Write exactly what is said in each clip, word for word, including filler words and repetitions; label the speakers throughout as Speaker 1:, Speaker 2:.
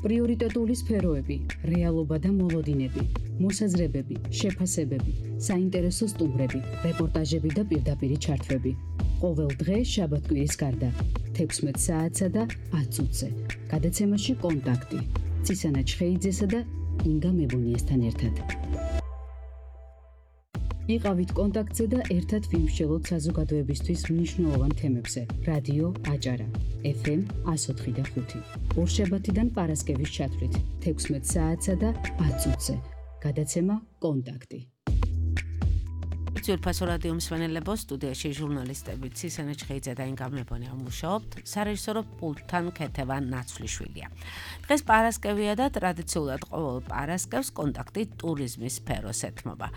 Speaker 1: პრიორიტეტული სფეროები, რეალობა და მოლოდინები, მოსაზრებები, შეფასებები, საინტერესო სტუმრები, რეპორტაჟები და პირდაპირი ჩართვები. ყოველ დღე შაბათ-კვირის გარდა, თექვსმეტ საათსა და ათ წუთზე. გადაცემაში კონტაქტი. ცისანა ჩხეიძესა და ინგა მებუნიესთან ერთად. იყავით კონტაქტზე და ერთად ვიმსჯელოთ საზოგადოებისთვის მნიშვნელოვან თემებზე. რადიო აჭარა, ეფ ემ εκατო ოთხი და ხუთი. ორშაბათიდან პარასკევის ჩათვლით, თექვსმეტ საათსა და ათ წუთზე. გადაცემა კონტაქტი.
Speaker 2: ძირფასო რადიო მსმენელებო, სტუდიაში ჟურნალისტები ცისანა ჩხეიძე და ინგა მებუნია მუშაობთ, სარეჟისორო პულტთან ქეთევან ნაცვლიშვილია. დღეს პარასკევია და ტრადიციულად ყოველ პარასკევს კონტაქტი ტურიზმის სფეროს ეთმობა.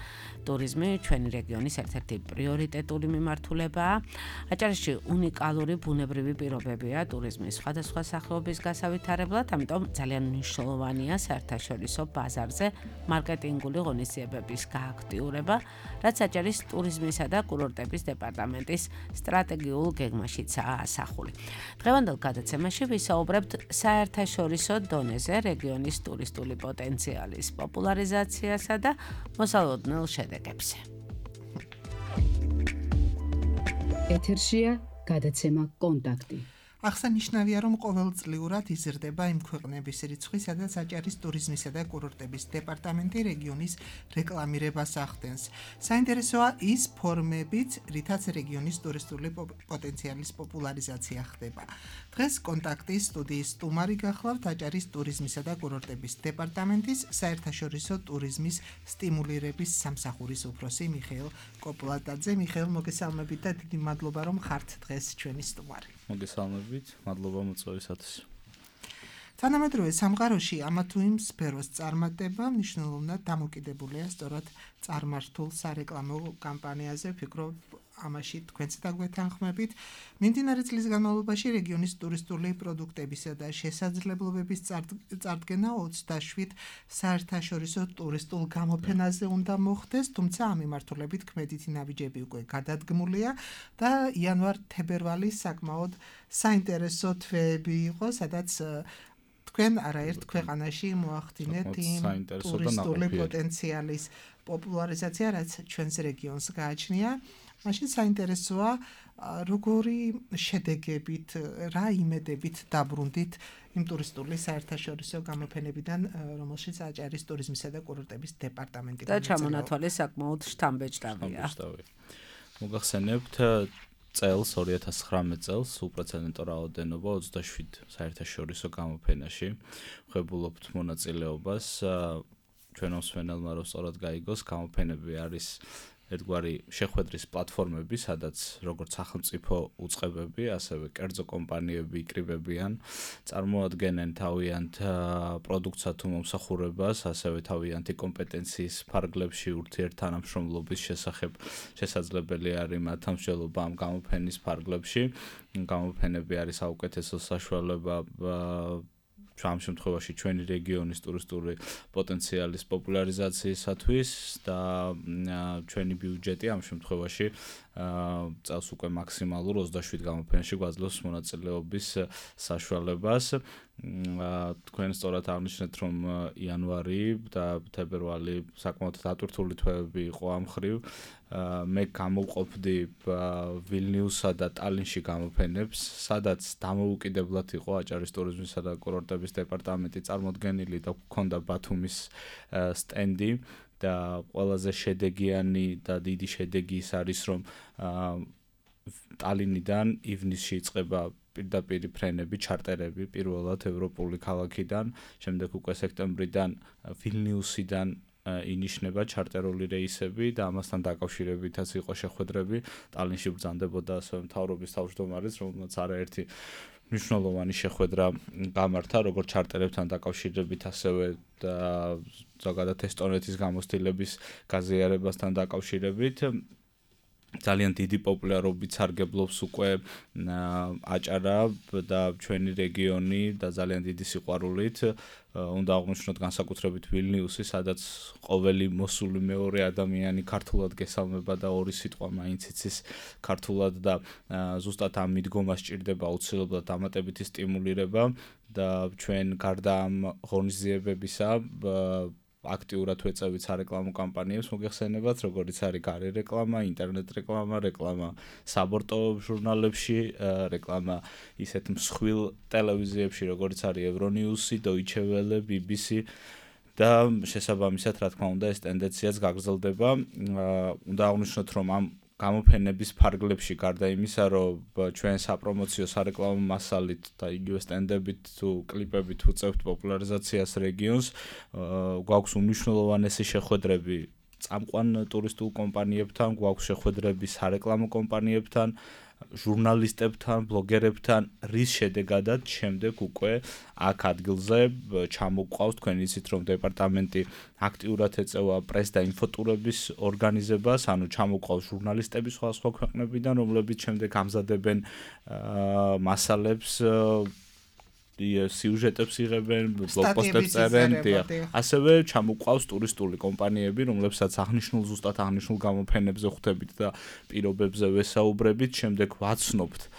Speaker 2: ტურიზმი ჩვენი რეგიონის ერთ-ერთი პრიორიტეტული მიმართულებაა. აჭარაში უნიკალური ბუნებრივი პირობებია ტურიზმის სხვადასხვა სახეობის გასავითარებლად, ამიტომ ძალიან მნიშვნელოვანია საერთაშორისო ბაზარზე მარკეტინგული ღონისძიებების გააქტიურება, რაც აჭარის ტურიზმისა და კურორტების დეპარტამენტის სტრატეგიულ გეგმაშიცაა ასახული. დღევანდელ გადაცემაში ვისაუბრებთ საერთაშორისო დონეზე რეგიონის ტურისტული პოტენციალის პოპულარიზაციასა და მოსალოდნელ შედეგებზე.
Speaker 1: ეთერშია გადაცემა კონტაქტი.
Speaker 3: აღსანიშნავია, რომ ყოველწლიურად იზრდება იმ ქვეყნების რიცხვი, სადაც აჭარის ტურიზმისა და კურორტების დეპარტამენტი რეგიონის რეკლამირებას ახდენს. საინტერესოა ის ფორმებიც, რითაც რეგიონის ტურისტული პოტენციალის პოპულარიზაცია ხდება. დღეს კონტაქტის სტუდიის სტუმარი გახლავთ აჭარის ტურიზმისა და კურორტების დეპარტამენტის საერთაშორისო ტურიზმის სტიმულირების სამსახურის უფროსი მიხეილ კოპლატაძე. მიხეილ, მოგესალმებით და დიდი მადლობა, რომ ხართ დღეს ჩვენი სტუმარი.
Speaker 4: მოგესალმებით, მადლობა მოწვევისათვის.
Speaker 3: თანამედროვე სამყაროში ამა თუ იმ სფეროს წარმატება მნიშვნელოვნად დამოკიდებულია სწორად წარმართულ სარეკლამო კამპანიაზე. ვფიქრობ, ამაში თქვენც დაგვეთანხმებით. მიმდინარე წლის განმავლობაში რეგიონის ტურისტული პროდუქტებისა და შესაძლებლობების წარდგენა ოცდაშვიდ საერთაშორისო ტურისტულ გამოფენაზე უნდა მოხდეს, თუმცა ამ მიმართულებით ქმედითი ნაბიჯები უკვე გადადგმულია და იანვარ-თებერვალი საკმაოდ საინტერესო თვეები იყო, სადაც თქვენ არაერთ ქვეყანაში მოახდინეთ იმ ტურისტული პოტენციალის პოპულარიზაცია, რაც ჩვენს რეგიონს გააჩნია. მაშინ საინტერესოა, როგორი შედეგებით, რა იმედებით დაბრუნდით იმ ტურისტული საერთაშორისო გამოფენებიდან, რომელშიც აჭარის ტურიზმისა და კურორტების დეპარტამენტი
Speaker 2: და ჩამონათვალე საკმაოდ შთამბეჭდავია.
Speaker 4: მოგახსენებთ, წელს ორი ათას ცხრამეტ წელს უპრეცედენტო რაოდენობა ოცდაშვიდ საერთაშორისო გამოფენაში ვღებულობთ მონაწილეობას. ჩვენ მსმენელმა რომ სწორად გაიგოს, გამოფენები არის ერთგვარი შეხვედრის პლატფორმები, სადაც როგორც სახელმწიფო უწყებები, ასევე კერძო კომპანიები იკრიბებიან, წარმოადგენენ თავიანთ პროდუქტსა თუ მომსახურებას, ასევე თავიანთი კომპეტენციის ფარგლებში ურთიერთთანამშრომლობის შესახებ შესაძლებელი არის მათ ამსჯელობა ამ გამოფენის ფარგლებში. გამოფენები არის საუკეთესო საშუალება ამ შემთხვევაში ჩვენი რეგიონის ტურისტული პოტენციალის პოპულარიზაციისათვის და ჩვენი ბიუჯეტი ამ შემთხვევაში წელს უკვე მაქსიმალურ ოცდაშვიდ გამოფენაში გვაძლევს მონაწილეობის საშუალებას. თქვენ სწორად აღნიშნეთ, რომ იანვარი და თებერვალი საკმაოდ დატვირთული თვეები იყო ამ მხრივ. მე გამოვყოფდი ვილნიუსსა და ტალინში გამოფენებს, სადაც დამოუკიდებლად იყო აჭარის ტურიზმისა და კურორტების დეპარტამენტი წარმოდგენილი და ჰქონდა ბათუმის სტენდი და ყველაზე შედეგიანი და დიდი შედეგი ის არის, რომ ტალინიდან ივნისში იწყება პირდაპირი ფრენები, ჩარტერები პირველად ევროპული ქალაქიდან, შემდეგ უკვე სექტემბრიდან ვილნიუსიდან ინიშნება ჩარტერული რეისები და ამასთან დაკავშირებითაც იყო შეხვედრები. ტალინში ბრძანდებოდა ასევე მთავრობის თავმჯდომარეს, რომელმაც არაერთი მნიშვნელოვანი შეხვედრა გამართა, როგორც ჩარტერებთან დაკავშირებით, ასევე ზოგადად ესტონეთის გამოცდილების გაზიარებასთან დაკავშირებით. ძალიან დიდი პოპულარობით სარგებლობს უკვე აჭარა და ჩვენი რეგიონი და ძალიან დიდი სიყვარულით უნდა აღვნიშნოთ განსაკუთრებით ვილნიუსი, სადაც ყოველი მოსული მეორე ადამიანი ქართულად გესალმება და ორი სიტყვა მაინც იცის ქართულად და ზუსტად ამ მიდგომას სჭირდება აუცილებლად დამატებითი სტიმულირება და ჩვენ გარდა ამ ღონისძიებებისა აქტიურად ვეწევით სარეკლამო კამპანიებს, მოგეხსენებათ, როგორიც არის გარე რეკლამა, ინტერნეტ რეკლამა, რეკლამა საბორტო ჟურნალებში, რეკლამა ისეთ მსხვილ ტელევიზიებში, როგორიც არის ევრონიუსი, დოიჩე ველე, ბი ბი სი და შესაბამისად, რა თქმა უნდა, ეს ტენდენციაც გაგრძელდება. უნდა აღვნიშნოთ, რომ ამ გამოფენების ფარგლებში გარდა იმისა, რომ ჩვენ საპრომოციო სარეკლამო მასალით და იგივე სტენდებით თუ კლიპებით ვუწევთ პოპულარიზაციას რეგიონს, გვაქვს უმნიშვნელოვანესი შეხვედრები წამყვან ტურისტულ კომპანიებთან, გვაქვს შეხვედრები სარეკლამო კომპანიებთან, ჟურნალისტებთან, ბლოგერებთან, რის შედეგადაც შემდეგ უკვე აქ ადგილზე ჩამოგვყავს, თქვენ იცით, რომ დეპარტამენტი აქტიურად ეწევა პრეს და ინფოტურების ორგანიზებას, ანუ ჩამოგვყავს ჟურნალისტები სხვადასხვა ქვეყნებიდან, რომლებიც შემდეგ ამზადებენ მასალებს, სიუჟეტებს იღებენ, ბლოგპოსტებს წერენ, ასევე ჩამოგვყავს ტურისტული კომპანიები, რომლებსაც აღნიშნულ ზუსტად აღნიშნულ გამოფენებზე ხვდებით და პირობებზე ვესაუბრებით, შემდეგ ვაცნობთ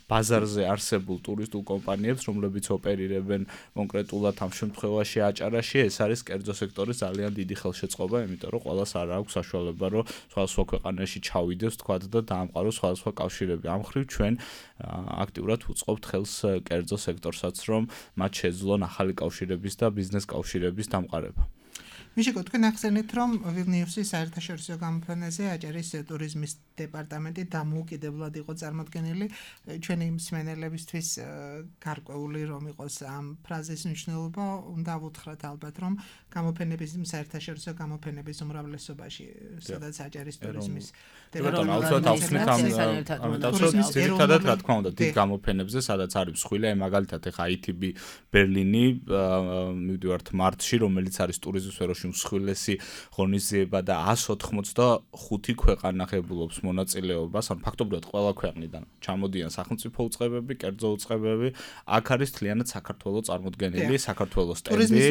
Speaker 4: ბაზარზე არსებულ ტურისტულ კომპანიებს, რომლებიც ოპერირებენ კონკრეტულად ამ შემთხვევაში აჭარაში, ეს არის კერძო სექტორის ძალიან დიდი ხელშეწყობა, იმიტომ რომ ყველას არ აქვს საშუალება, რომ სხვადასხვა ქვეყანაში ჩავიდეს, თქვათ და დაამყაროს სხვადასხვა კავშირები. ამ მხრივ ჩვენ აქტიურად ვუწყობთ ხელს კერძო სექტორსაც, რომ მათ შეძლონ ახალი კავშირების და ბიზნეს კავშირების დამყარება.
Speaker 3: მიშიკო, თქვენ ახსენეთ, რომ ვილნიუსის საერთაშორისო გამოფენაზე აჭარის ტურიზმის დეპარტამენტი დამოუკიდებლად იყო წარმოდგენილი. ჩვენი მსმენელებისთვის გარკვეული რომ იყოს ამ ფრაზის მნიშვნელობა, უნდა ვუთხრათ ალბათ, რომ გამოფენების საერთაშორისო გამოფენების უმრავლესობაში, სადაც აჭარის ტურიზმის
Speaker 4: დეპარტამენტი ერთადად რა თქმა უნდა დიდ გამოფენებზე, სადაც არის მსხვილი, აი მაგალითად ეხა აი თი ბი ბერლინი, მივდივართ მარტში, რომელიც არის ტურიზმის სფეროში მსხვილესი ღონისძიება და εκατს ოთხმოცდახუთი ქვეყანა ღებულობს მონაწილეობას, ან ფაქტობრივად ყველა ქვეყნიდან ჩამოდიან სახელმწიფო უწყებები, კერძო უწყებები, აქ არის მთლიანად საქართველოს წარმოდგენილი, საქართველოს სტენდი,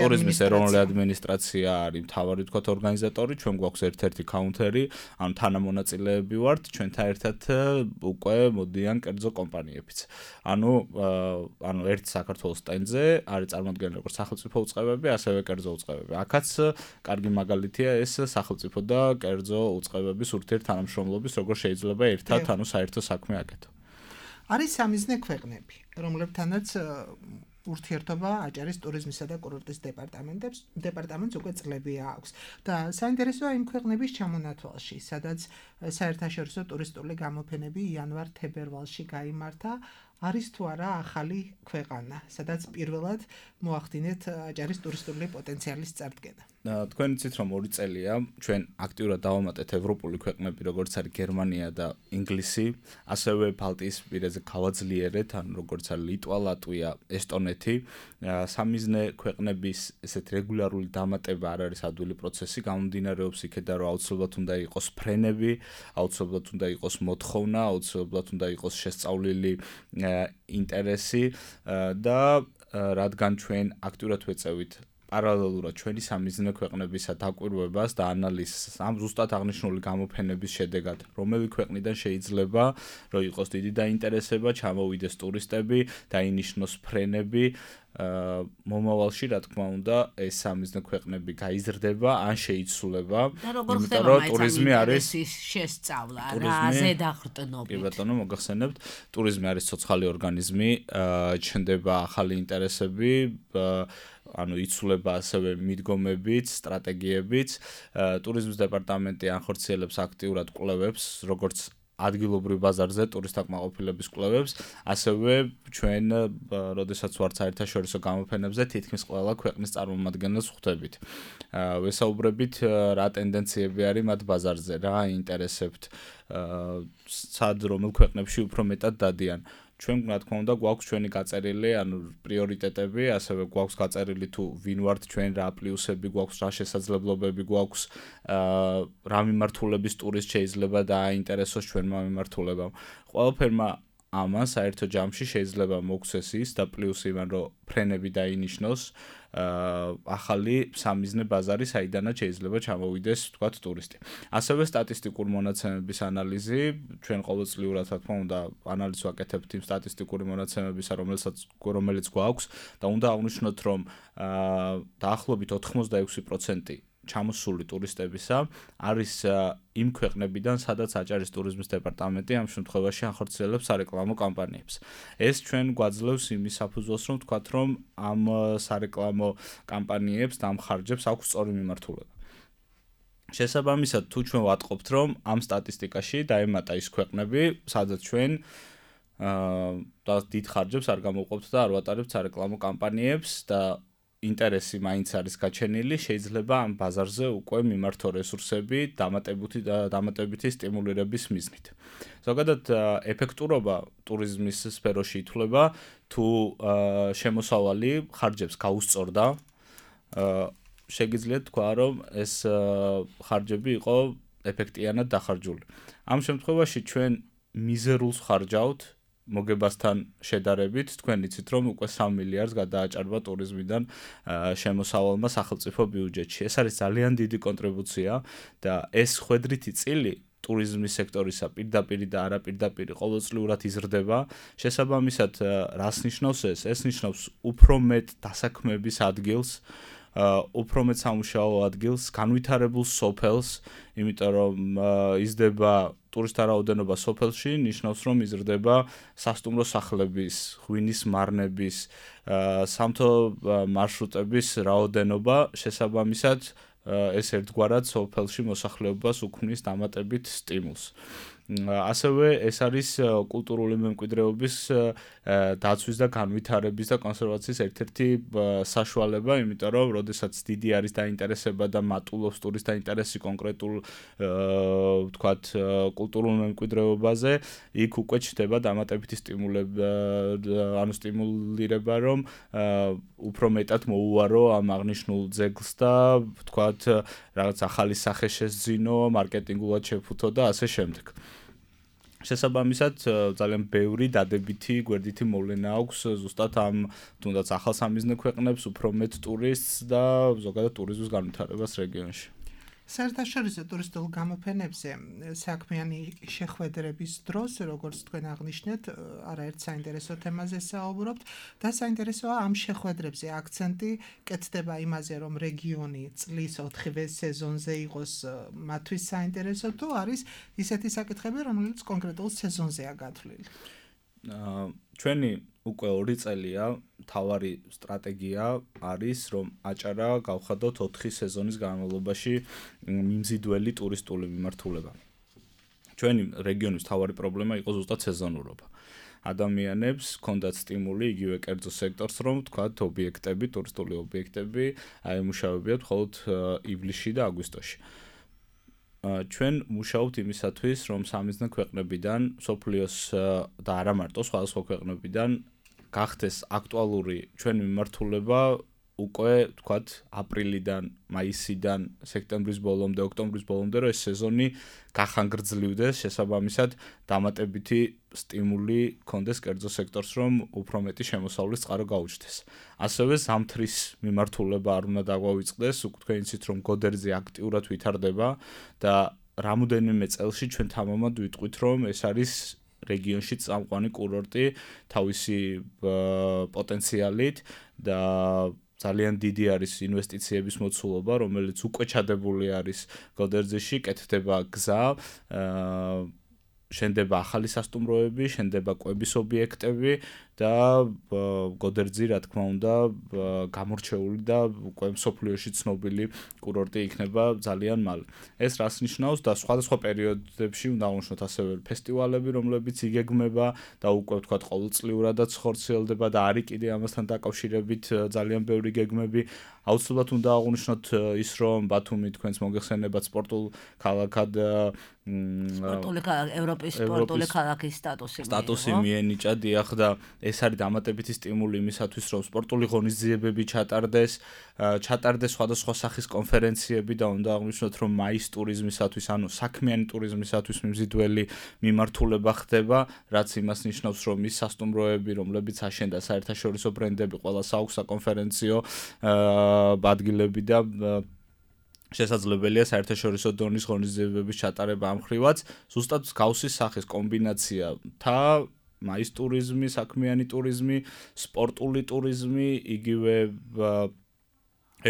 Speaker 4: ტურიზმის ეროვნული ადმინისტრაცია არის მთავარი ვთქვათ ორგანიზატორი, ჩვენ გვაქვს ერთ-ერთი კაუნტერი, ანუ თანამონაწილეები ვართ, ჩვენთან ერთად უკვე მოდიან კერძო კომპანიებიც. ანუ ანუ ერთ საქართველოს სტენდზე არის წარმოდგენილი როგორც სახელმწიფო უწყებები, ასევე კერძო უწყებები. აქაც კარგი მაგალითია ეს სახელმწიფო და კერძო უწყებების ურთიერთთანამშრომლობის, როგორ შეიძლება ერთად ანუ საერთო საქმე აკეთო.
Speaker 3: არის სამიზნე ქვეყნები, რომლებთანაც ურთიერთობა აჭარის ტურიზმისა და კურორტის დეპარტამენტებს დეპარტამენტს უკვე წლები აქვს და საინტერესოა იმ ქვეყნების ჩამონათვალში, სადაც საერთაშორისო ტურისტული გამოფენები იანვარ-თებერვალში გაიმართა, არის თუ არა ახალი ქვეყანა, სადაც პირველად მოახდინეთ აჭარის ტურისტული პოტენციალის წარდგენა.
Speaker 4: თქვენ იცით, რომ ორი წელია ჩვენ აქტიურად დავამატეთ ევროპული ქვეყნები, როგორც არის გერმანია და ინგლისი, ასევე ბალტიისპირეთზე გავაძლიერეთ, ანუ როგორც არის ლიტვა, ლატვია, ესტონეთი. სამიზნე ქვეყნების ესეთ რეგულარული დამატება არ არის ადვილი პროცესი, გამომდინარეობს იქედან, რომ აუცილებლად უნდა იყოს ფრენები, აუცილებლად უნდა იყოს მოთხოვნა, აუცილებლად უნდა იყოს შესწავლილი ინტერესი და რადგან ჩვენ აქტიურად ვეწევით პარალელურად ჩვენი სამიზნე ქვეყნებისა დაკვირვებას და ანალიზს ამ ზუსტად აღნიშნული გამოფენების შედეგად, რომელი ქვეყნიდან შეიძლება რომ იყოს დიდი დაინტერესება, ჩამოვიდეს ტურისტები, დაინიშნოს ფრენები, მომავალში რა თქმა უნდა ეს სამიზნე ქვეყნები გაიზრდება ან შეიცვლება,
Speaker 2: იმიტომ რომ ტურიზმი არის შესწავლა, რაზე დახრტნობით.
Speaker 4: კი ბატონო, მოგახსენებთ, ტურიზმი არის ცოცხალი ორგანიზმი, ჩნდება ახალი ინტერესები, ანუ იცვლება ასევე მიდგომებიც, სტრატეგიებიც. ტურიზმის დეპარტამენტი ახორციელებს აქტიურად კვლევებს, როგორც ადგილობრივ ბაზარზე ტურისტაკმაყოფილების კვლევებს, ასევე ჩვენ, როდესაც ვართ საერთაშორისო გამოფენებზე, თითქმის ყველა ქვეყნის წარმომადგენელს ხვდებით. ვესაუბრებით, რა ტენდენციები არის მათ ბაზარზე, რა ინტერესებთ, სად რომელ ქვეყნებში უფრო მეტად დადიან. ჩვენ რა თქმა უნდა გვაქვს ჩვენი გაწერილი, ანუ პრიორიტეტები, ასევე გვაქვს გაწერილი თუ ვინ ვართ ჩვენ, რა პლუსები გვაქვს, რა შესაძლებლობები გვაქვს, აა რა მიმართულების ტურისტ შეიძლება დააინტერესოს ჩვენმა მიმართულებამ. ყველაფერმა ამან საერთო ჯამში შეიძლება მოგვცეს ის და პლუს იმან რომ ფრენები დაინიშნოს ახალი სამიზნე ბაზარი საიდანაც შეიძლება ჩამოვიდეს ვთქვათ ტურისტი. ასევე სტატისტიკური მონაცემების ანალიზი, ჩვენ ყოველწლიურად რა თქმა უნდა ანალიზს ვაკეთებთ იმ სტატისტიკური მონაცემებისა, რომელსაც რომელიც გვაქვს და უნდა აღვნიშნოთ რომ დაახლოებით ოთხმოცდაექვსი პროცენტი ჩამოსული ტურისტებისა არის იმ ქვეყნებიდან, სადაც აჭარის ტურიზმის დეპარტამენტი ამ შემთხვევაში ახორციელებს სარეკლამო კამპანიებს. ეს ჩვენ გვაძლევს იმის საფუძველს, რომ ვთქვათ, რომ ამ სარეკლამო კამპანიებს და ამ ხარჯებს აქვს სწორი მიმართულება. შესაბამისად, თუ ჩვენ ვატყობთ, რომ ამ სტატისტიკაში დაემატა ის ქვეყნები, სადაც ჩვენ და დიდ ხარჯებს არ გამოვყოფთ და არ ვატარებთ სარეკლამო კამპანიებს და ინტერესი მაინც არის გაჩენილი, შეიძლება ამ ბაზარზე უკვე მიმართო რესურსები დამატებითი დამატებითი სტიმულირების მიზნით. ზოგადად ეფექტურობა ტურიზმის სფეროში ითვლება, თუ შემოსავალი ხარჯებს გაუსწორდა, შეგიძლიათ თქვა, რომ ეს ხარჯები იყო ეფექტიანად დახარჯული. ამ შემთხვევაში ჩვენ მიზერულს ხარჯავთ მოგებასთან შედარებით, თქვენ იცით, რომ უკვე სამი მილიარდს გადააჭარბა ტურიზმიდან შემოსავალმა სახელმწიფო ბიუჯეტში. ეს არის ძალიან დიდი კონტრიბუცია და ეს ხვედრითი წილი ტურიზმის სექტორისა პირდაპირ და არაპირდაპირ ყოველწლიურად იზრდება. შესაბამისად, რას ნიშნავს ეს? ეს ნიშნავს უფრო მეტ დასაქმების ადგილს, უფრო მეტ სამუშაო ადგილს, განვითარებულ სოფელს, იმიტომ რომ იზრდება ტურისტთა რაოდენობა სოფელში, ნიშნავს რომ იზრდება სასტუმრო სახლების, ღვინის მარნების, სამთო მარშრუტების რაოდენობა, შესაბამისად ეს ერთგვარად სოფელში მოსახლეობას უქმნის დამატებით სტიმულს. ასევე ეს არის კულტურული მემკვიდრეობის დაცვის და განვითარების და კონსერვაციის ერთ-ერთი საშუალება, იმიტომ რომ როდესაც დიდი არის დაინტერესება და მატულობს ტურისტთა ინტერესი კონკრეტულ ვთქვათ კულტურულ მემკვიდრეობაზე, იქ უკვე ჩნდება დამატებითი სტიმულება, ანუ სტიმულირება, რომ უფრო მეტად მოუვარო ამ აღნიშნულ ძეგლს და ვთქვათ რაღაც ახალი სახე შესძინო, მარკეტინგულად შეფუთო და ასე შემდეგ. შესაბამისად, ძალიან ბევრი დადებითი გვერდითი მოვლენა აქვს ზუსტად ამ თუნდაც ახალ სამიზნე ქვეყნებს, უფრო მეტ ტურისტს და ზოგადად ტურიზმის განვითარებას რეგიონში.
Speaker 3: საერთაშორისო ტურისტულ გამოფენებზე საქმიანი შეხვედრების დროს, როგორც თქვენ აღნიშნეთ, არაერთ საინტერესო თემაზე საუბრობთ და საინტერესოა ამ შეხვედრებზე აქცენტი კეთდება იმაზე, რომ რეგიონი წლის ოთხივე სეზონზე იყოს მათთვის საინტერესო, თუ არის ისეთი საკითხები, რომელიც კონკრეტულ სეზონზეა გათვლილი.
Speaker 4: ჩვენი უკვე ორი წელია თავარი სტრატეგია არის, რომ აჭარა გავხადოთ ოთხი სეზონის განმავლობაში მიმზიდველი ტურისტული მიმართულება. ჩვენი რეგიონის თავარი პრობლემა იყო ზუსტად სეზონურობა. ადამიანებს ჰქონდათ სტიმული იგივე კერძო სექტორს, რომ თქვათ ობიექტები, ტურისტული ობიექტები აემუშავებიათ მხოლოდ ივლისში და აგვისტოში. ჩვენ მუშაობთ იმისათვის, რომ სამიზნე ქვეყნებიდან, სოფლიოს და არა მარტო სხვადასხვა ქვეყნებიდან გახდეს აქტუალური ჩვენი მიმართულება უკვე თქვათ აპრილიდან, მაისიდან, სექტემბრის ბოლომდე, ოქტომბრის ბოლომდე, რომ ეს სეზონი გახანგრძლივდეს, შესაბამისად დამატებითი სტიმული კონდეს კერძო სექტორს, რომ უფრო მეტი შემოსავლის წყარო გაუჩნდეს. ასევე ზამთრის მიმართულება არ უნდა დაგვავიწყდეს, თქვენ იცით, რომ გოდერძი აქტიურად ვითარდება და რამოდენიმე წელში ჩვენ თამამად ვიტყვით, რომ ეს არის რეგიონში წამყვანი კურორტი თავისი პოტენციალით და ძალიან დიდი არის ინვესტიციების მოცულობა, რომელიც უკვე ჩადებული არის გოდერძიში, კეთდება გზა, შენდება ახალი სასტუმროები, შენდება კვების ობიექტები და გოდერძი რა თქმა უნდა გამორჩეული და უკვე მსოფლიოში ცნობილი კურორტი იქნება ძალიან მალე. ეს რას ნიშნავს და სხვადასხვა პერიოდებში უნდა აღნიშნოთ ასევე ფესტივალები, რომლებიც იგეგმება და უკვე ვთქვათ ყოველწლიურადაც ხორციელდება და არის კიდე ამასთან დაკავშირებით ძალიან ბევრი გეგმები. აუცილებლად უნდა აღნიშნოთ ის, რომ ბათუმი თქვენს მოგეხსენებათ სპორტულ ქალაქად
Speaker 2: სპორტული ქალაქი, ევროპის სპორტული ქალაქის სტატუსი
Speaker 4: სტატუსი მიენიჭა, დიახ და ეს არის დამატებითი სტიმული იმისათვის, რომ სპორტული ღონისძიებები ჩატარდეს, ჩატარდეს სხვადასხვა სახის კონფერენციები და უნდა აღნიშნოთ, რომ მაის ტურიზმისათვის, ანუ საქმიანი ტურიზმისათვის მიმზიდველი მიმართულება ხდება, რაც იმას ნიშნავს, რომ ის სასტუმროები, რომლებიც აშენდა საერთაშორისო ბრენდები, ყველა საუქსა კონფერენციო ადგილები და შესაძლებელია საერთაშორისო დონის ღონისძიებების ჩატარება ამ ხრივაც, ზუსტად მსგავსი სახის კომბინაცია თა მაის ტურიზმი, საქმიანი ტურიზმი, სპორტული ტურიზმი, იგივე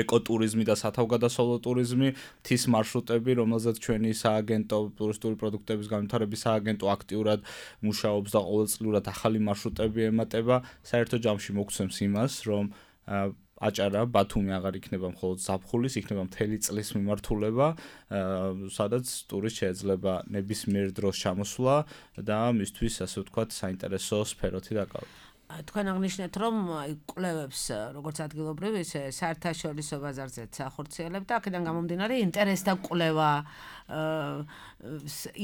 Speaker 4: ეკოტურიზმი და სათავგადასავლო ტურიზმი, მთის მარშრუტები, რომელზეც ჩვენი სააგენტო ტურისტული პროდუქტების განვითარების სააგენტო აქტიურად მუშაობს და ყოველწლიურად ახალი მარშრუტები ემატება, საერთო ჯამში მოგცემს იმას, რომ აჭარა ბათუმი აღარ იქნება მხოლოდ ზაფხულის, იქნება მთელი წლის მიმართულება, სადაც ტურისტ შეიძლება ნებისმიერ დროს ჩამოსვლა და მისთვის ასე ვთქვათ საინტერესო სფეროთი დაკავება.
Speaker 2: თქვენ აღნიშნეთ, რომ კვლევებს როგორც ადგილობრივ, ისე საერთაშორისო ბაზარზეც ახორციელებთ და აქედან გამომდინარე ინტერესთა კვლევა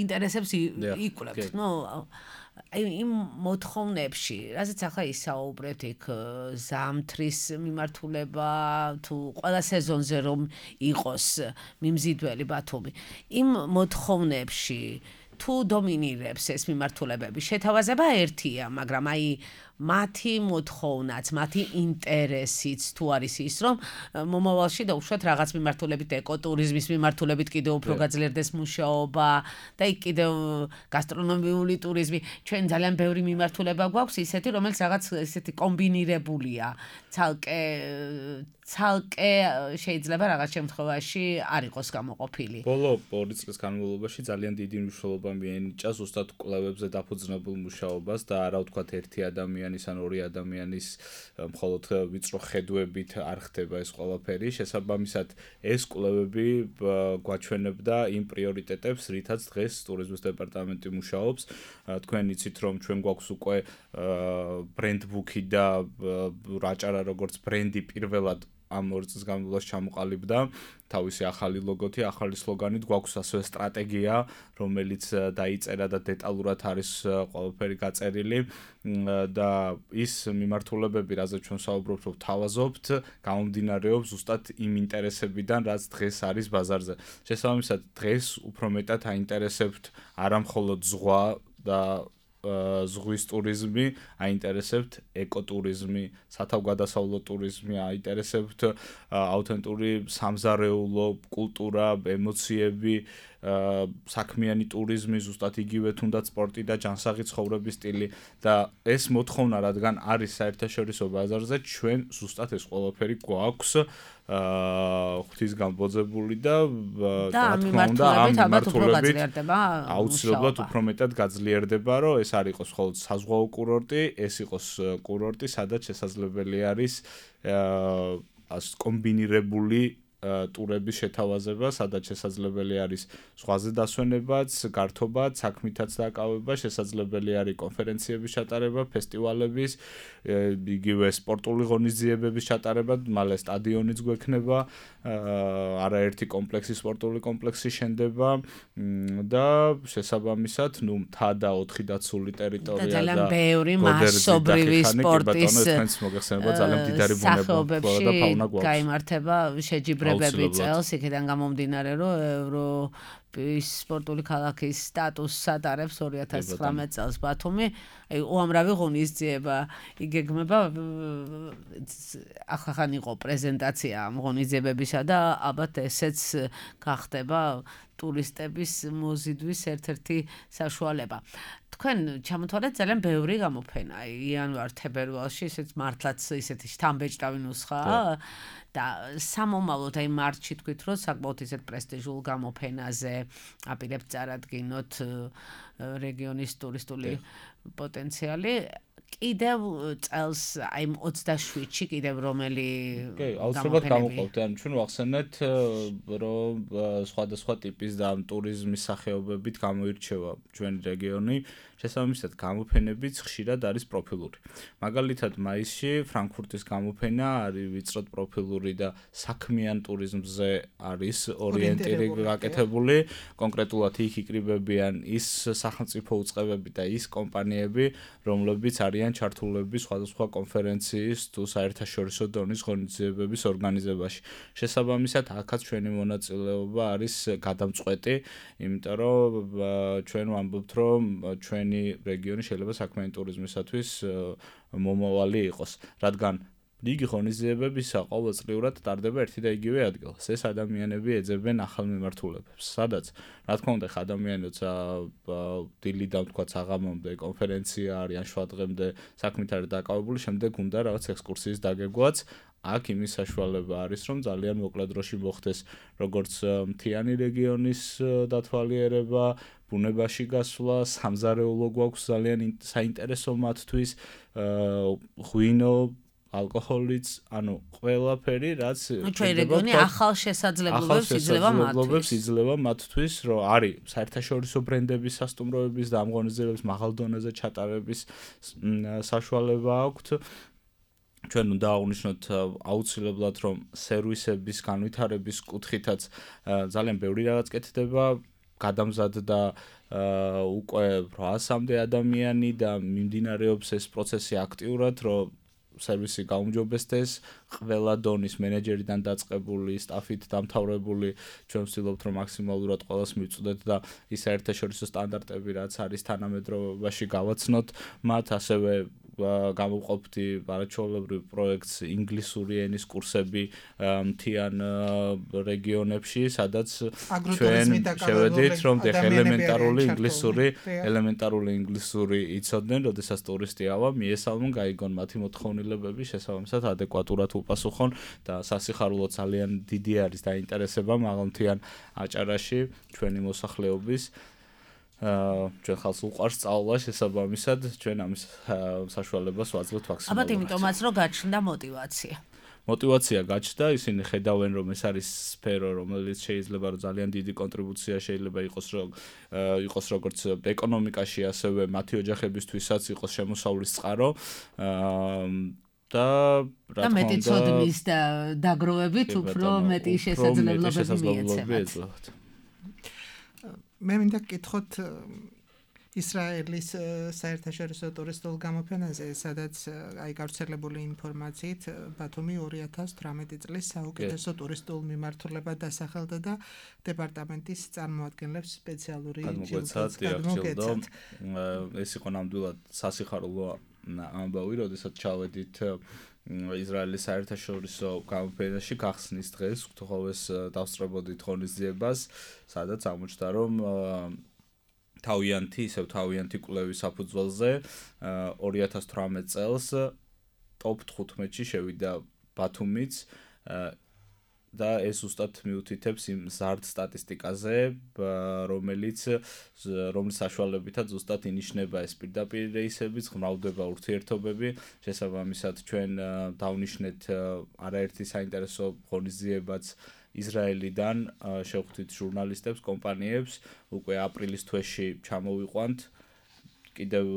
Speaker 2: ინტერესებს იკვლევთ. ნუ იმ მოთხოვნებში, რაზეც ახლა ისაუბრეთ, იქ ზამთრის მიმართულება თუ ყველა სეზონზე რომ იყოს მიმზიდველი ბათუმი, იმ მოთხოვნებში თუ დომინირებს ეს მიმართულებები, შეთავაზება ერთია, მაგრამ აი მათი მოთხოვნაც, მათი ინტერესიც თუ არის ის, რომ მომავალში დაუშვათ რაღაც მიმართულებით, ეკოტურიზმის მიმართულებით კიდევ უფრო გაძლიერდეს მუშაობა და იქ კიდევ გასტრონომიული ტურიზმი, ჩვენ ძალიან ბევრი მიმართულება გვაქვს ისეთი, რომელიც რაღაც ესეთი კომბინირებულია, ცალკე ცალკე შეიძლება რაღაც შემთხვევაში არ იყოს გამოყოფილი.
Speaker 4: ბოლო ორი წლის განმავლობაში ძალიან დიდი მნიშვნელობა მიენიჭა ზუსტად კვლევებზე დაფუძნებულ მუშაობას და არა ვთქვათ ერთი ადამიანის ან ორი ადამიანის მხოლოდ ვიწრო ხედვებით არ ხდება ეს ყველაფერი. შესაბამისად, ეს კვლევები გვაჩვენებდა იმ პრიორიტეტებს, რითაც დღეს ტურიზმის დეპარტამენტი მუშაობს. თქვენ იცით, რომ ჩვენ გვაქვს უკვე ბრენდბუქი და აჭარა როგორც ბრენდი პირველად ამ ორი წლის განმავლობაში ჩამოყალიბდა თავისი ახალი ლოგოთი, ახალი სლოგანით, გვაქვს ასევე სტრატეგია, რომელიც დაიწერა და დეტალურად არის ყველაფერი გაწერილი და ის მიმართულებები, რაზეც ჩვენ საუბრობთ, რომ თავაზობთ, გამომდინარეობს ზუსტად იმ ინტერესებიდან, რაც დღეს არის ბაზარზე. შესაბამისად, დღეს უფრო მეტად აინტერესებთ არა მხოლოდ ზღვა და ზღვის ტურიზმი, აინტერესებთ ეკოტურიზმი, სათავგადასავლო ტურიზმი, აინტერესებთ აუთენტური სამზარეულო კულტურა, ემოციები, საქმიანი ტურიზმი, ზუსტად იგივე თუნდაც სპორტი და ჯანსაღი ცხოვრების სტილი და ეს მოთხოვნა, რადგან არის საერთაშორისო ბაზარზე, ჩვენ ზუსტად ეს ყველაფერი გვაქვს ღვთის გამბოძებული და
Speaker 2: რა თქმა უნდა ამ მიმართულებით
Speaker 4: აუცილებლად უფრო მეტად გაძლიერდება, რომ ეს არ იყოს მხოლოდ საზღვაო კურორტი, ეს იყოს კურორტი, სადაც შესაძლებელი არის კომბინირებული ტურების შეთავაზება, სადაც შესაძლებელი არის ზღვაზე დასვენებაც, გართობაც, საქმითაც დაკავება, შესაძლებელი არის კონფერენციების ჩატარება, ფესტივალების, იგივე სპორტული ღონისძიებების ჩატარება, მალე სტადიონიც გვექნება, არაერთი კომპლექსი, სპორტული კომპლექსი შენდება და შესაბამისად, ნუ მთა და ოთხი დაცული ტერიტორია და
Speaker 2: ძალიან ბევრი მასობრივი სპორტის
Speaker 4: მოგეხსენება ძალიან მდიდარი ბუნება და ფაუნა გვაქვს.
Speaker 2: გაიმართება შეჯიბრებები წელს, იქიდან გამომდინარე, რომ ევროპის სპორტული ქალაქის სტატუსს ატარებს ორი ათას ცხრამეტ წელს ბათუმი. აი უამრავი ღონისძიება იგეგმება, ახახან იყო პრეზენტაცია ამ ღონისძიებებისა და ალბათ ესეც გახდება ტურისტების მოზიდვის ერთ-ერთი საშუალება. თქვენ ჩამოთვალეთ ძალიან ბევრი გამოფენა. იანვარ-თებერვალში ისეთ მართლაც ისეთი შთამბეჭდავი ნუსხაა და სამომავლოდ აი მარტში თქვით, რომ საკმაოდ ისეთ პრესტიჟულ გამოფენაზე აპირებთ წარადგინოთ რეგიონის ტურისტული პოტენციალი. კიდევ წელს აი ოცდაშვიდში კიდევ რომელი
Speaker 4: კი, აუცილებლად გამოყოფთ. ანუ ჩვენ ვახსენეთ, რომ სხვადასხვა ტიპის და ტურიზმის სახეობებით გამოირჩევა ჩვენი რეგიონი. შესაბამისად, გამოფენებიც ხშირად არის პროფილური. მაგალითად, მაისში ფრანკფურტის გამოფენა არის ვიწროდ პროფილური და საქმიან ტურიზმზე არის ორიენტირებული გაკეთებული. კონკრეტულად იქ იკრიბებიან ის სახელმწიფო უწყებები და ის კომპანიები, რომლებიც არიან ჩართულები სხვადასხვა კონფერენციის თუ საერთაშორისო დონის ღონისძიებების ორგანიზებაში. შესაბამისად, აქაც ჩვენი მონაწილეობა არის გადამწყვეტი, იმიტომ რომ ჩვენ ვამბობთ, რომ ჩვენ რეგიონი შეიძლება საქმიანი ტურიზმისათვის მომავალი იყოს, რადგან რიგი ღონისძიებებისა ყოველწლიურად ტარდება ერთი და იგივე ადგილას. ეს ადამიანები ეძებენ ახალ მიმართულებებს, სადაც რა თქმა უნდა ადამიანი როცა დილიდან თქვა საღამომდე კონფერენცია არის ან შვადღემდე საქმით არის დაკავებული, შემდეგ უნდა რაღაც ექსკურსიის დაგეგვაც. აქ იმის საშუალება არის, რომ ძალიან მოკლე დროში მოხდეს როგორც მთიანი რეგიონის დათვალიერება, ბუნებაში გასვლა, სამზარეულო გვაქვს ძალიან საინტერესო მათთვის, ღვინო, ალკოჰოლიც, ანუ ყველაფერი, რაც
Speaker 2: ჩვენი რეგიონი ახალ შესაძლებლობებს იძლევა მათთვის.
Speaker 4: იძლევა მათთვის, რომ არის საერთაშორისო ბრენდების სასტუმროების და ამ ღონისძიებების მაღალ დონეზე ჩატარების საშუალება აქვთ. ჩვენ უნდა აღვნიშნოთ აუცილებლად, რომ სერვისების განვითარების კუთხითაც ძალიან ბევრი რაღაც კეთდება. გადამზადდა უკვე რვაასამდე ადამიანი და მიმდინარეობს ეს პროცესი აქტიურად, რომ სერვისი გაუმჯობესდეს, ყველა დონის მენეჯერიდან დაწყებული, სტაფით დამთავრებული, ჩვენ ვცდილობთ, რომ მაქსიმალურად ყველას მივწვდეთ და ის საერთაშორისო სტანდარტები, რაც არის თანამედროვეობაში გავაცნოთ, მათ ასევე გამოვყოფთ არაჩვეულებრივ პროექტს ინგლისური ენის კურსები მთიან რეგიონებში, სადაც ჩვენ შევედით, რომ ელემენტარული ინგლისური, ელემენტარული ინგლისური იცოდნენ, როდესაც ტურისტი ავა, მიესალმონ, გაიგონ მათი მოთხოვნილებები, შესაბამისად ადეკვატურად უპასუხონ და სასიხარულო ძალიან დიდი არის დაინტერესება მაღალმთიან აჭარაში ჩვენი მოსახლეობის. ჩვენ ხალხს უყვარს სწავლა, შესაბამისად ჩვენ ამის საშუალებას ვაძლევთ მაქსიმალურად.
Speaker 2: ალბათ იმიტომაც რომ გაჩნდა мотиваცია.
Speaker 4: мотиваცია გაჩნდა, ისინი ხედავენ, რომ ეს არის სფერო, რომელიც შეიძლება რომ ძალიან დიდი კონტრიბუცია შეიძლება იყოს, რომ იყოს როგორც ეკონომიკაში, ასევე მათი ოჯახებისთვისაც იყოს შემოსავლის წყარო. და
Speaker 2: რა თქმა უნდა, მეტი ცოდნის და დაგროვებით უფრო მეტი შესაძლებლობები მიეცემათ.
Speaker 3: მე მინდა გკითხოთ ისრაელის საერთაშორისო ტურისტულ გამოფენაზე, სადაც აი გავრცელებული ინფორმაციით ბათუმი ორი ათას თვრამეტი წლის საუკეთესო ტურისტულ მიმართულება დასახელდა და დეპარტამენტის წარმოადგენლებს სპეციალური
Speaker 4: ჯილდო გადმოგეცათ. ეს იყო ნამდვილად სასიხარულო ამბავი, როდესაც ჩავედით ისრაელის საერთაშორისო გამოფენაში გახსნის დღეს, გთხოვეს დავსწრებოდით ღონისძიებას, სადაც აღმოჩნდა, რომ თავიანთი, ისევ თავიანთი კვლევის საფუძველზე ორი ათას თვრამეტ წელს ტოპ თხუთმეტში შევიდა ბათუმიც და ეს უბრალოდ მიუთითებს იმ ზარდ სტატისტიკაზე, რომელიც რომლის საშუალებითაც უბრალოდ ინიშნება ეს პირდაპირ რეისებიც, ღრმავდება ურთიერთობები, შესაბამისად ჩვენ დავნიშნეთ არაერთი საინტერესო ღონისძიებაც ისრაელიდან შევხვდით ჟურნალისტებს, კომპანიებს, უკვე აპრილის თვეში ჩამოვიყვანთ, კიდევ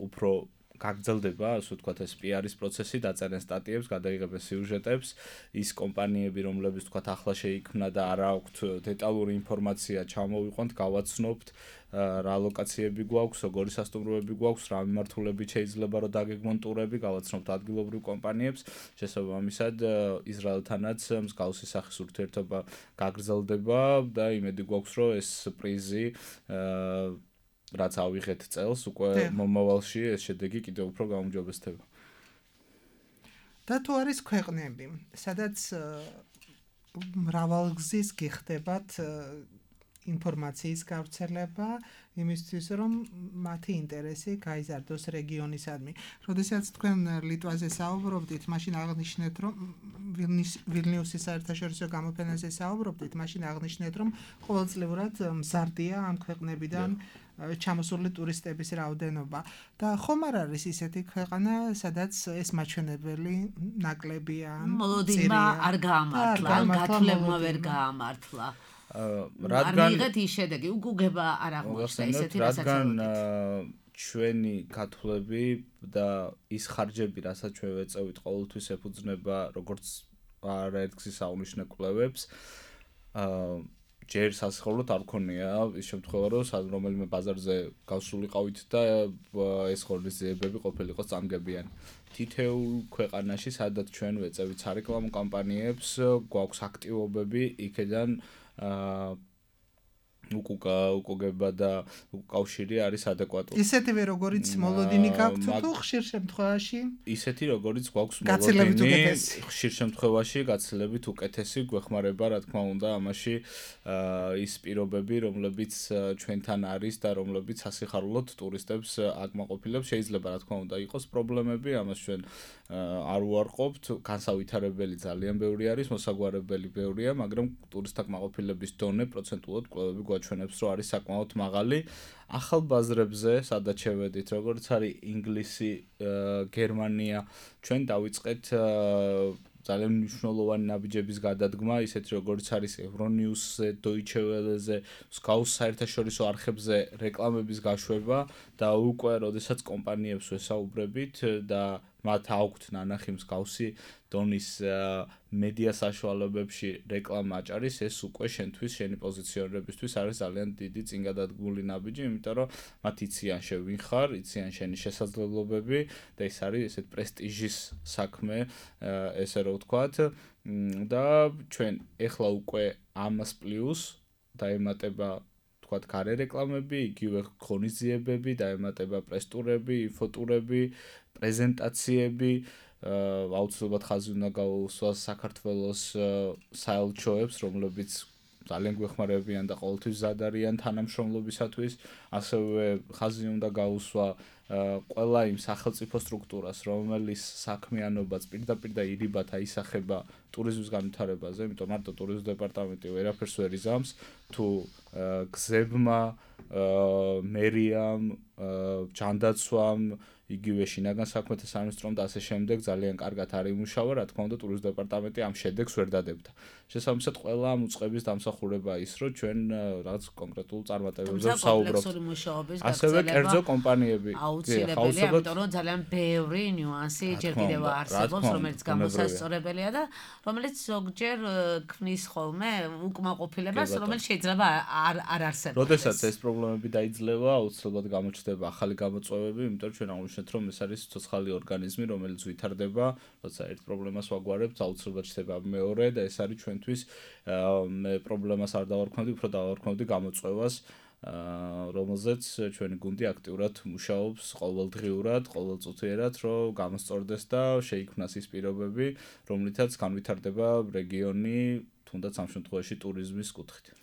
Speaker 4: უფრო გაგრძელდება, ასე ვთქვათ, ეს პი-არის პროცესი, დაწერენ სტატიებს, გადაიღებენ სიუჟეტებს, ის კომპანიები, რომლებიც ვთქვათ, ახლა შეიქმნა და არა აქვთ დეტალური ინფორმაცია, ჩამოვიყვანთ, გავაცნობთ, რა ლოკაციები გვაქვს, როგორი სასტუმროები გვაქვს, რა მიმართულებით შეიძლება რომ დაგეგმონ ტურები, გავაცნობთ ადგილობრივ კომპანიებს, შესაბამისად ისრაელთანაც მსგავსი სახის ურთიერთობა გაგრძელდება და იმედი გვაქვს, რომ ეს პრიზი რაც ავიღეთ წელს, უკვე მომავალში ეს შედეგი კიდევ უფრო გაუმჯობესდება.
Speaker 3: და თუ არის ქვეყნები, სადაც მრავალგზის გიხდებათ ინფორმაციის გავრცელება იმისთვის, რომ მათი ინტერესი გაიზარდოს რეგიონისადმი. როდესაც თქვენ ლიტვაზე საუბრობდით, მაშინ აღნიშნეთ, რომ ვილნიუსის საერთაშორისო გამოფენაზე საუბრობდით, მაშინ აღნიშნეთ, რომ ყოველწლიურად მზარდია ამ ქვეყნებიდან ჩამოსული ტურისტების რაოდენობა და ხომ არ არის ისეთი ქვეყანა, სადაც ეს მაჩვენებელი ნაკლებია,
Speaker 2: მოლოდინმა არ გაამართლა, გათვლებმა ვერ გაამართლა. რადგან მიიღეთ ის შედეგი, უგუგება არ აღმოჩნდა ისეთი, რასაც
Speaker 4: რადგან ჩვენი გათვლები და ის ხარჯები, რასაც ჩვენ ვეწევით, ყოველთვის ეფუძნება როგორც არაერთგზის აღნიშნულ კვლევებს, ჯერ სასიხარულოდ არ ქონია ის შემთხვევა, რომ რომელიმე ბაზარზე გავსულიყავით და ეს ღონისძიებები ყოფილიყო წამგებიანი. თითოეულ ქვეყანაში, სადაც ჩვენ ვეწევით სარეკლამო კამპანიებს, გვაქვს აქტივობები იქედან უკუკა უკუგება და უკავშირი არის ადეკვატური.
Speaker 3: ისეთივე როგორიც მოლოდინი გაქვთ თუ ხშირ შემთხვევაში?
Speaker 4: ისეთი როგორიც გვაქვს მოლოდინი, ხშირ შემთხვევაში გაცილებით უკეთესი გვეხმარება, რა თქმა უნდა, ამაში ის პირობები, რომლებიც ჩვენთან არის და რომლებიც სასიხარულოდ ტურისტებს აკმაყოფილებს, შეიძლება რა თქმა უნდა იყოს პრობლემები, ამას ჩვენ არ უარყოფთ, განსავითარებელი ძალიან ბევრი არის, მოსაგვარებელი ბევრია, მაგრამ ტურისტთა კმაყოფილების დონე პროცენტულად კვლევები გვაჩვენებს, რომ არის საკმაოდ მაღალი. ახალ ბაზრებზე, სადაც შევედით, როგორც არის ინგლისი, გერმანია, ჩვენ დავიწყეთ ძალიან მნიშვნელოვანი ნაბიჯების გადადგმა, ისეთი როგორც არის ევრონიუსზე, Deutsche Welle-ზე, მსგავს საერთაშორისო არხებზე რეკლამების გაშვება და უკვე, როდესაც კომპანიებს ვესაუბრებით და მათ აქვთ ნანახი მსგავსი დონის მედია საშუალებებში რეკლამა აჭარის, ეს უკვე შენთვის, შენი პოზიციონირებისთვის არის ძალიან დიდი წინ გადადგმული ნაბიჯი, იმიტომ რომ მათ იციან შენ ვინ ხარ, იციან შენი შესაძლებლობები და ეს არის ესეთ პრესტიჟის საქმე, ესე რომ ვთქვათ, და ჩვენ ეხლა უკვე ამას პლუს დაემატება თქვათ გარე რეკლამები, იგივე ღონისძიებები, დაემატება პრესტურები, ინფოტურები, პრეზენტაციები, აუცილებლად ხაზი უნდა გაუსვას საქართველოს საელჩოებს, რომლებიც ძალიან გვეხმარებიან და ყოველთვის მზად არიან თანამშრომლობისათვის, ასევე ხაზი უნდა გაუსვა ყველა იმ სახელმწიფო სტრუქტურას, რომელიც საქმიანობაც პირდაპირ და ირიბად აისახება ტურიზმის განვითარებაზე, იმიტომ მარტო ტურიზმის დეპარტამენტი ვერაფერს ვერ იზამს, თუ გზებმა, მერიამ, ჯანდაცვამ, იგივე შინაგან საქმეთა სამინისტრომ და ასე შემდეგ ძალიან კარგად არ იმუშავა, რა თქმა უნდა, ტურიზმის დეპარტამენტი ამ შედეგს ვერ დადებდა. შესაბამისად, ყველა ამ უწყების დამსახურება ის, რომ ჩვენ რაღაც კონკრეტულ წარმატებებზე ვსაუბრობთ. ასევე კერძო კომპანიები.
Speaker 2: აუცილებელია, იმიტომ რომ ძალიან ბევრი ნიუანსი ჯერ კიდევ არსებობს, რომელიც გამოსასწორებელია და რომელიც ზოგჯერ ქმნის ხოლმე უკმაყოფილებას, რომელიც შეიძლება არ არ არსებობდეს.
Speaker 4: როდესაც ეს პრობლემები დაიძლევა, აუცილებლად გამოჩნდება ახალი გამოწვევები, იმიტომ რომ ჩვენ აღნიშნეთ, რომ ეს არის ცოცხალი ორგანიზმი, რომელიც ვითარდება, როცა ერთ პრობლემას ვაგვარებთ, აუცილებლად ჩდება მეორე და ეს არის ჩვენთვის მე პრობლემას არ დავარქმევდი, უფრო დავარქმევდი გამოწვევას, რომელზეც ჩვენი გუნდი აქტიურად მუშაობს ყოველდღიურად, ყოველწუთიერად, რომ გამოსწორდეს და შეიქმნას ის პირობები, რომლითაც განვითარდება რეგიონი, თუნდაც ამ შემთხვევაში ტურიზმის კუთხით.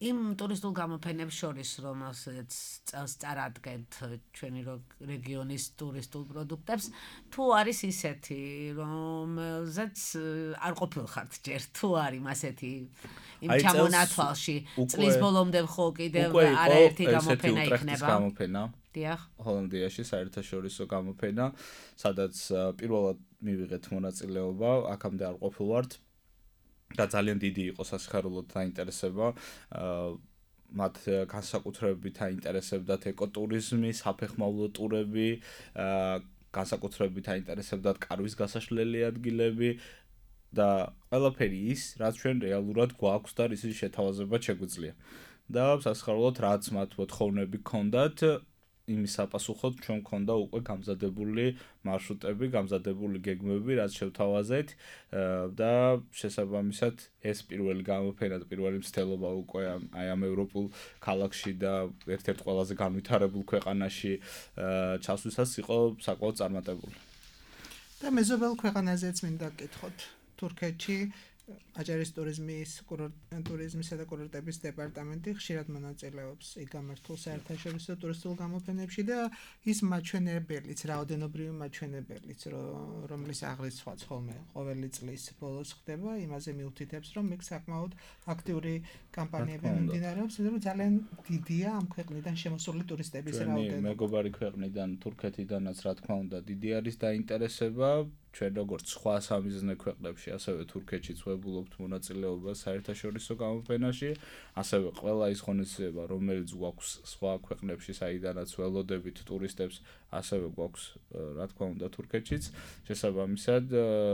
Speaker 2: იმ ტურისტულ გამოფენებს შორის, რომელსაც წელს წარადგენთ ჩვენი რეგიონის ტურისტულ პროდუქტებს, თუ არის ისეთი, რომელზეც არ ყოფილხართ ჯერ, თუ არის ასეთი იმ ჩამონათვალში, წლის ბოლომდე ხო კიდევ არაერთი გამოფენა იქნება.
Speaker 4: გამოფენა.
Speaker 2: დიახ.
Speaker 4: ჰოლანდიაში საერთაშორისო გამოფენა, სადაც პირველად მივიღეთ მონაწილეობა, აქამდე არ ყოფილვართ. და ძალიან დიდი იყო სასიხარულოდ დაინტერესება, მათ განსაკუთრებით აინტერესებდათ ეკოტურიზმი, საფეხმავლო ტურები, განსაკუთრებით აინტერესებდათ კარვის გასაშლელი ადგილები და ყველაფერი ის, რაც ჩვენ რეალურად გვაქვს და რის შეთავაზებად შეგვიძლია. და სასიხარულოდ რაც მათ მოთხოვნები ჰქონდათ, იმის საპასუხოდ ჩვენ გვქონდა უკვე გამზადებული მარშრუტები, გამზადებული გეგმები, რაც შევთავაზეთ და შესაბამისად ეს პირველი გამოფენა და პირველი მცდელობა უკვე აი ამ ევროპულ ქალაქში და ერთ-ერთ ყველაზე განვითარებულ ქვეყანაში ჩასვლისას იყო საკმაოდ წარმატებული.
Speaker 3: და მეზობელ ქვეყანაზეც მინდა გკითხოთ, თურქეთში აჭარის ტურიზმის ტურიზმისა და კურორტების დეპარტამენტი ხშირად მონაწილეობს იგამართულ საერთაშორისო ტურისტულ გამოფენებში და ის მაჩვენებელიც, რაოდენობრივი მაჩვენებელიც, რომლის აღრიცხვაც ხოლმე ყოველი წლის ბოლოს ხდება, იმაზე მიუთითებს, რომ მეკ საკმაოდ აქტიური კამპანიები მიმდინარეობს, რომ ძალიან დიდია ამ ქვეყნიდან შემოსული ტურისტების რაოდენობა.
Speaker 4: მეგობარი ქვეყნიდან, თურქეთიდანაც რა თქმა უნდა, დიდი არის დაინტერესება. ჩვენ როგორც სხვა სამიზნე ქვეყნებში, ასევე თურქეთშიც ვებულობთ მონაწილეობას საერთაშორისო გამოფენაში, ასევე ყველა ის ღონისძიება, რომელიც გვაქვს სხვა ქვეყნებში, საიდანაც ველოდებით ტურისტებს, ასევე გვაქვს, რა თქმა უნდა, თურქეთშიც, შესაბამისად,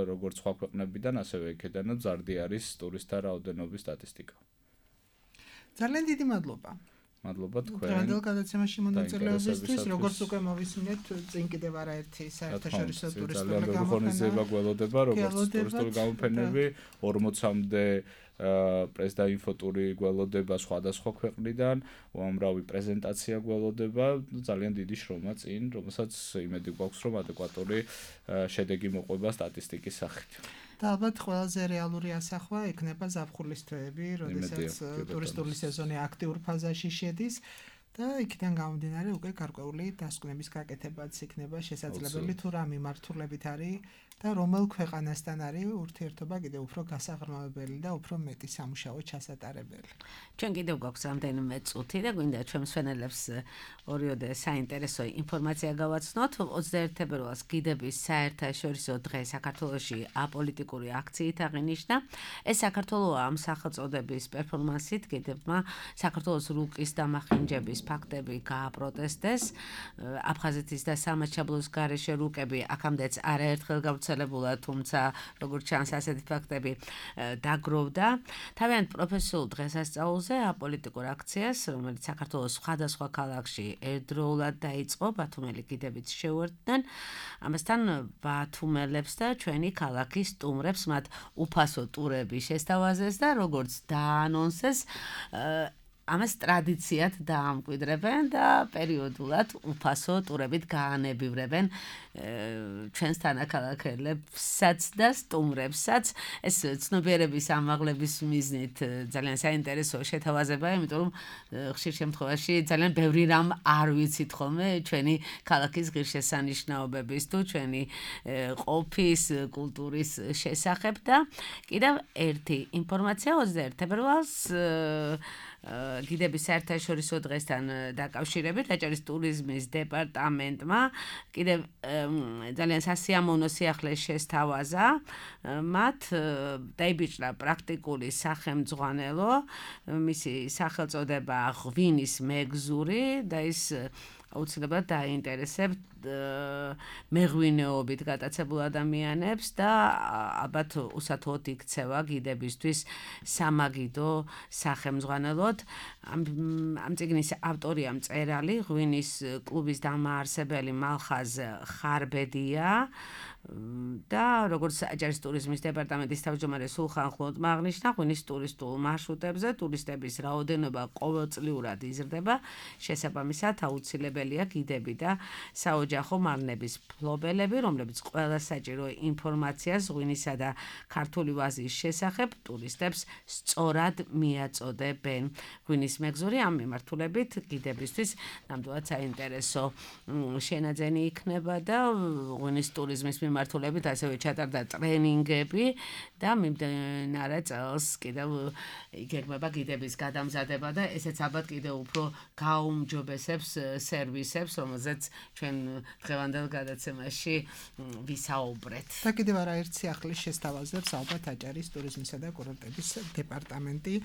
Speaker 4: როგორც სხვა ქვეყნებიდან, ასევე იქედანაც მზარდი არის ტურისტთა რაოდენობის სტატისტიკა.
Speaker 3: ძალიან დიდი მადლობა.
Speaker 4: მადლობა თქვენ.
Speaker 3: დღევანდელ გადაცემაში მონაწილეობისთვის, როგორც უკვე მოვისმინეთ, წინ კიდევ არაერთი საერთაშორისო ტურისტული
Speaker 4: გამოფენა გველოდება, როგორც ტურისტული გამოფენები, ორმოცამდე პრეს და ინფოტური გველოდება სხვადასხვა ქვეყნიდან, უამრავი პრეზენტაცია გველოდება, ძალიან დიდი შრომა წინ, რომელსაც იმედი გვაქვს, რომ ადეკვატური შედეგი მოყვება სტატისტიკის სახით.
Speaker 3: და ალბათ ყველაზე რეალური ასახვა იქნება ზაფხულის თვეები, როდესაც ტურისტული სეზონი აქტიურ ფაზაში შედის და იქიდან გამომდინარე უკვე გარკვეული დასკვნების გაკეთებაც იქნება შესაძლებელი თუ რა მიმართულებით არის და რომელ ქვეყანასთან არის ურთიერთობა კიდევ უფრო გასაღრმავებელი და უფრო მეტი სამუშაო ჩასატარებელი.
Speaker 2: ჩვენ კიდევ გვაქვს რამდენიმე წუთი და გვინდა ჩვენ მსვენელებს ორიოდე საინტერესო ინფორმაცია გავაცნოთ. ოცდაერთი თებერვალს გიდების საერთაშორისო დღე საქართველოში აპოლიტიკური აქციით აღინიშნა. ეს საქართველოა ამ სახელწოდების პერფორმანსით გიდებმა საქართველოს რუკის დამახინჯების ფაქტები გააპროტესტეს. აფხაზეთის და სამაჩაბლოს გარეშე რუკები აქამდეც არაერთხელ გავრცელებულა, თუმცა როგორც ჩანს ასეთი ფაქტები დაგროვდა. თავიანთ პროფესიულ დღესასწაულზე აპოლიტიკურ აქციას, რომელიც საქართველოს სხვადასხვა ქალაქში ერთდროულად დაიწყო, ბათუმელი გიდებით შეუერთდნენ. ამასთან ბათუმელებს და ჩვენი ქალაქის სტუმრებს მათ უფასო ტურები შესთავაზეს და როგორც დაანონსეს, ამას ტრადიციად დაამკვიდრებენ და პერიოდულად უფასო ტურებით გაანებივრებენ ჩვენს თანაქალაქელებსაც და სტუმრებსაც. ეს ცნობიერების ამაღლების მიზნით ძალიან საინტერესო შეთავაზებაა, იმიტომ რომ ხშირ შემთხვევაში ძალიან ბევრი რამ არ ვიცით ხოლმე ჩვენი ქალაქის ღირსშესანიშნაობების თუ ჩვენი ყოფის, კულტურის შესახებ და კიდევ ერთი ინფორმაცია ოცდაერთი თებერვალს გიდების საერთაშორისო დღესთან დაკავშირებით აჭარის ტურიზმის დეპარტამენტმა კიდევ ძალიან სასიამოვნო სიახლე შესთავაზა. მათ დაიბიჭდა პრაქტიკული სახელმძღვანელო, მისი სახელწოდება ღვინის მეგზური და ის აუცილებლად დაინტერესებთ მეღვინეობით გატაცებულ ადამიანებს და ალბათ უსათოდ იქცევა გიდებისთვის სამაგიდო სახელმძღვანელოდ. ამ წიგნის ავტორია მწერალი, ღვინის კლუბის დამაარსებელი მალხაზ ხარბედია და როგორც აჭარის ტურიზმის დეპარტამენტის თავმჯდომარე სულხან ხლოტმა აღნიშნა, ღვინის ტურისტულ მარშრუტებზე ტურისტების რაოდენობა ყოველწლიურად იზრდება, შესაბამისად აუცილებელია გიდები და საოჯახო მარნების ფლობელები, რომლებიც ყველა საჭირო ინფორმაციას ღვინისა და ქართული ვაზის შესახებ ტურისტებს სწორად მიაწოდებენ. ღვინის მეგზური ამ მიმართულებით გიდებისთვის ნამდვილად საინტერესო შენაძენი იქნება და ღვინის ტურიზმის მიმართულებით ასევე ჩატარდა ტრენინგები და მიმდინარე წელს კიდევ იგეგმება გიდების გადამზადება და ესეც ალბათ კიდევ უფრო გაუმჯობესებს სერვისებს, რომელზეც ჩვენ დღევანდელ გადაცემაში ვისაუბრეთ.
Speaker 3: და კიდევ არაერთ სიახლის შესთავაზებს ალბათ აჭარის ტურიზმისა და კურორტების დეპარტამენტი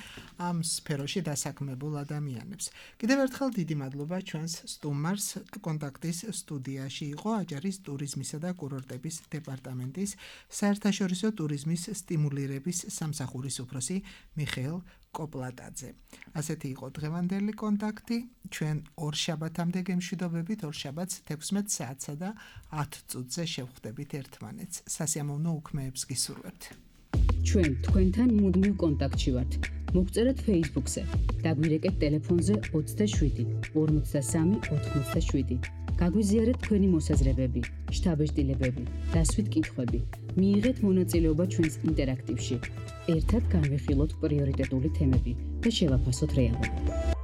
Speaker 3: ამ სფეროში დასაქმებულ ადამიანებს. კიდევ ერთხელ დიდი მადლობა ჩვენს სტუმარს. კონტაქტის სტუდიაში იყო აჭარის ტურიზმისა და კურორტების დეპარტამენტის საერთაშორისო ტურიზმის სტიმულირების სამსახურის უფროსი მიხეილ კოპლატაძე. ასეთი იყო დღევანდელი კონტაქტი. ჩვენ ორ შაბათამდე გემშვიდობებით, ორ შაბათს თექვსმეტ საათსა და ათ წუთზე შევხვდებით ერთმანეთს. სასიამოვნო უქმეებს გისურვებთ.
Speaker 1: ჩვენ თქვენთან მუდმივ კონტაქტში ვართ. მოგწერეთ Facebook-ზე, დაგვირეკეთ ტელეფონზე ოცდაშვიდი ორმოცდასამი ოთხმოცდაშვიდი. გაგვიზიარეთ თქვენი მოსაზრებები, შთაბეჭდილებები, დასვით კითხვები. მიიღეთ მონაწილეობა ჩვენს ინტერაქტივში. ერთად განვიხილოთ პრიორიტეტული თემები და შევაფასოთ რეალობა.